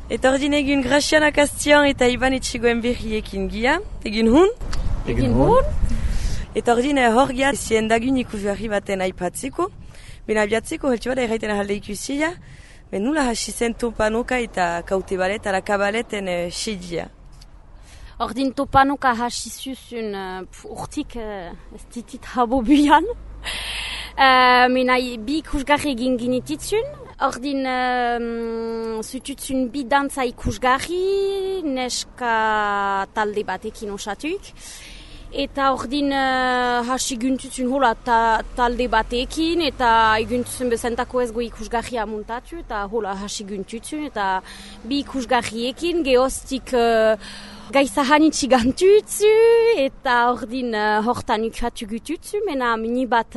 Eta ordin egun Graziana Kastian eta Iban Etxegoen berriekin gia. Egun hun? Egun hun. Eta ordin hor gia ziendagun ikusgarri baten aipatzeko. Ben abiatzeko heltsu bada erraiten ahalde ikusia. Ben nula hasi zen topanoka eta kautebalet ala kabaleten sedia. Ordin topanoka hasi zuzun urtik ez ditit habo buian. Mena bi ikusgarri egin ginititzun. Ordin zututzun bi dantza ikusgarri, neska talde batekin osatuik. Eta ordin hasi guntutzun hola talde batekin, eta eguntutzun bezentako ez go ikusgarria muntatu, eta hola hasi guntutzun, eta bi ikusgarriekin gehoztik gaizahanitsi gantutzu, eta ordin hortan ukatu gututzu, mena mini bat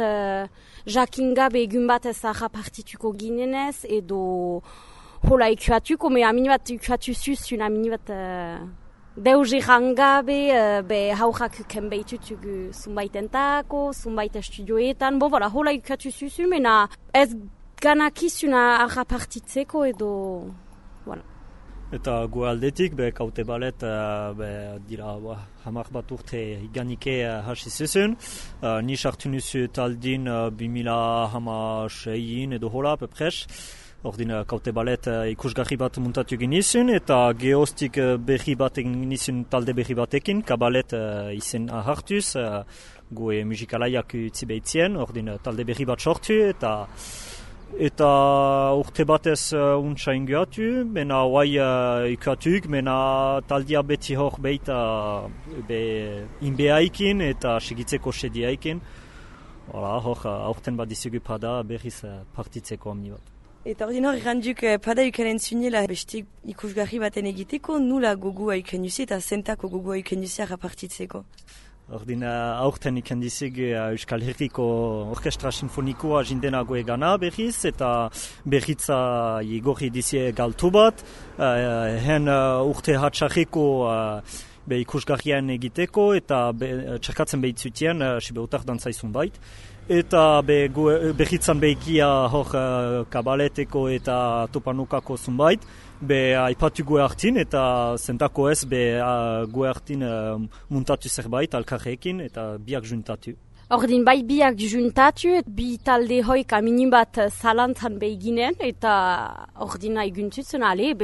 jakin gabe egun bat ez partituko ginenez, edo hola ikuatuko, mena mini bat ukatu zuzun, mini bat deus errangabe, be haurrak uken behitutugu zunbaitentako, zunbait estudioetan, bo voilà, hola ukatu zuzun, mena ez ganakizuna arrapartitzeko edo, voilà. Eta gu aldetik, kaute balet, dira hamar bat urte iganike hasi zuzun. Ni sartu nuzu taldin 2016 edo hola, pepres. Ordin kaute balet ikusgarri bat muntatu genizun, eta gehoztik berri bat genizun talde berri batekin, kabalet izen hartuz, gu musikalaiak utzi behitzien, ordin talde berri bat sortu, eta urte batez untsa ingoatu, mena hoai ikuatuk, mena taldia beti hor behita inbeaikin eta segitzeko sediaikin. Hor aurten bat dizugu pada berriz partitzeko amni bat. Eta ordin hor iranduk pada ukenen zunela beste ikusgarri baten egiteko, nula gogua ukenuzi eta zentako gogua ukenuzi rapartitzeko? Ordin aurten ikendizig Euskal Herriko Orkestra Sinfonikoa jindenago egana berriz, eta berritza igorri dizie galtu bat, hen urte hatxarriko ikusgarrian egiteko, eta txerkatzen behitzutien, sibeutar dantzaizun bait. Eta berritzan behikia hor kabaleteko eta topanukako zunbait, aipatu gue hartin eta zentako ez gue hartin muntatu zerbait alkarrekin eta biak juntatu. Ordin bai biak juntatu, bi talde hoika minin bat zalantzan behiginen, eta ordina eguntutzen ale,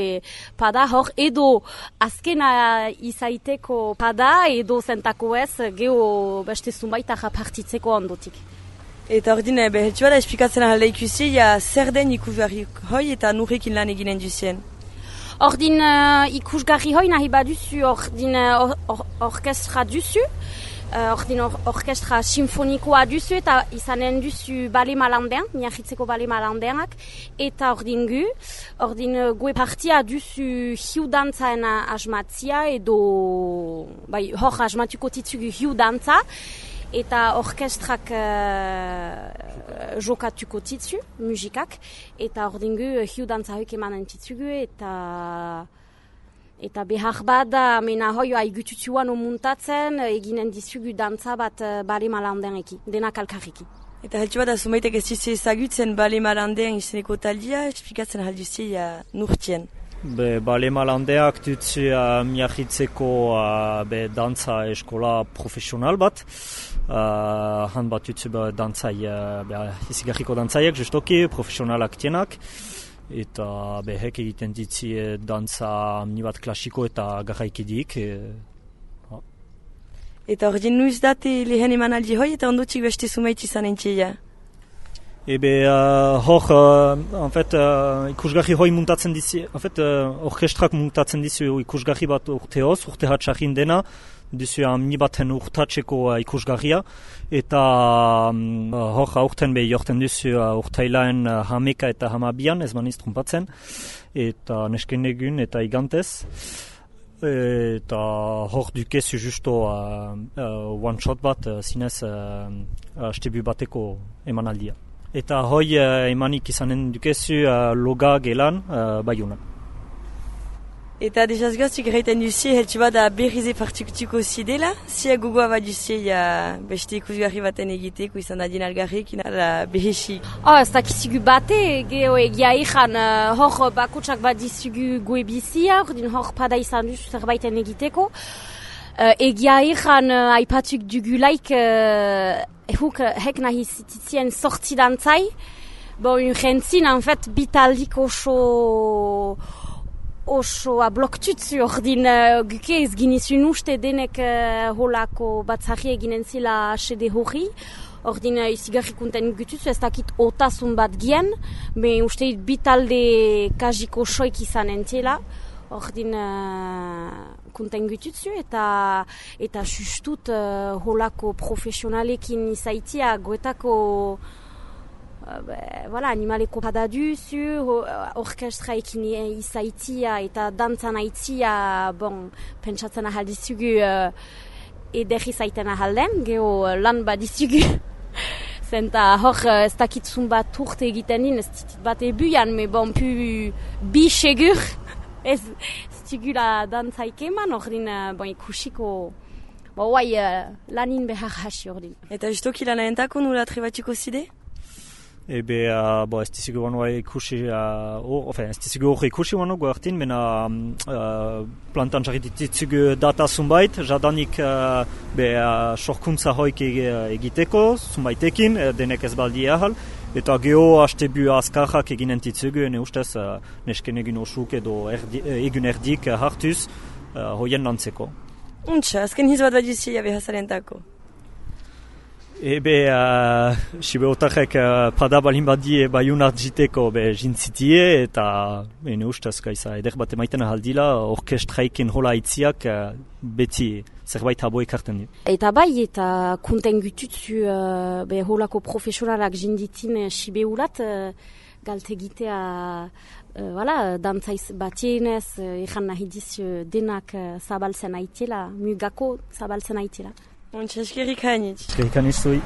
pada hor edo azkena izaiteko pada edo zentako ez geho beste zunbait partzitzeko ondotik. Eta ordin heltsu bada esplikatzen ahalde ikusi, zer den ikusgarri hoi eta nurrekin lan eginen duzien? Ordin ikusgarri hoi nahi baduzu, ordin orkestra duzu, ordin orkestra sinfonikoa duzu, eta izanen duzu bale malandean, miahitzeko bale malandeanak, eta ordin gue partia duzu hiu dantzaen asmatzia, edo hor asmatuko titzugu hiu dantza, eta orkestrak jokatuko titzu, musikak, eta ordingu hiu dantza hoik emanen titzugu, eta behar bada mena hoioa igututzuan omuntatzen, eginen dizugu dantza bat bale malanden eki, denak alkarriki. Eta heltsu bada zumaitek ez duzu ezagutzen bale malandean izeneko taldia, esplikatzen ahalduzia nurtien. Bale malandeak dutzu miahitzeko dantza eskola profesional bat. Han bat dutzu izigarriko dantzaiak, justoki, profesionalak tienak. Eta hek egiten ditzi dantza amni bat klasiko eta garraikidik. Eta ordin nuiz date lehen emanaldi hoi eta ondotxik beste zumait izan entxeia? Hor, ikusgarri hoi muntatzen dizi, orkestrak muntatzen dizu ikusgarri bat urteoz, urte hatxarrin dena, dizu amni baten urtatzeko ikusgarria, eta hor aurten jorten dizu urtailaen hameka eta hamabian, ez maniz trumpatzen, eta nesken egun eta igantez. Eta hor dukezu justo one shot bat zinez astebu bateko emanaldia. Eta hoi emanik izanen dukezu loga gelan baiunan. Eta desazgaztuk erraiten duzie, heltsu bat da berrize partukutuko zidela, zia gogoa bat duzie beste ikusgarri baten egiteko izan da dinalgarrik, inara behesik. Ez dakizugu bate, geho egia ikan hor bakutsak bat dizugu goe bizia, hor pada izan duzu zerbaiten egiteko. Egia ikan aipatuk dugulaik hek nahi zititzien sortzidantzai, urgentzin, en fait, bitaldik oso bloktutzu ordin guke ez ginizun uste denek holako batzari eginen zila sede hori. Ordin izigarrikunten gututzu ez dakit otasun bat gien, me uste bitalde kajiko soik izan entela. Ordin kunten gututzu eta sustut holako profesionalekin izaitia goetako animaleko padaduzu, orkestraekin izaitia eta dantzan aitzia, pentsatzen ahaldizugu ederri zaiten ahalden, geho lan badizugu. Zenta hor ez dakitzun bat urte egiten din, ez ditit bat ebuian, me pu bi segur, ez zigula dantzaik eman, ordin ikusiko, lanin behar hasi ordin. Eta justoki lana entako nula trebatxiko zide? Ebe, ez dizigu banua ikusi, ez dizigu hori ikusi banu guartin, mena plantan jarrititzugu data zunbait, jadanik sorkuntza hoik egiteko, zunbaitekin, denek ez baldi ahal, eta geho hastebu azkarrak eginen titzugu, ne ustez nesken egin osuk edo egun erdik hartuz, hoien lantzeko. Untsa, azken hiz bat baduzia behazarentako. Ebe, sibe otarek pada balin badie baiun artjiteko jintzitie eta ne ustez gaiza eder bat emaiten ahaldila orkestraiken hola aitziak beti zerbait habo ekarten dit. Eta bai, eta kunten gututzu holako profesionalak jinditin sibe ulat galtegitea dantzaiz batienez ekan nahi diz denak zabaltzen aitela, mugako zabaltzen aitela. Eskerrik hainitz. Eskerrik hainitz zui.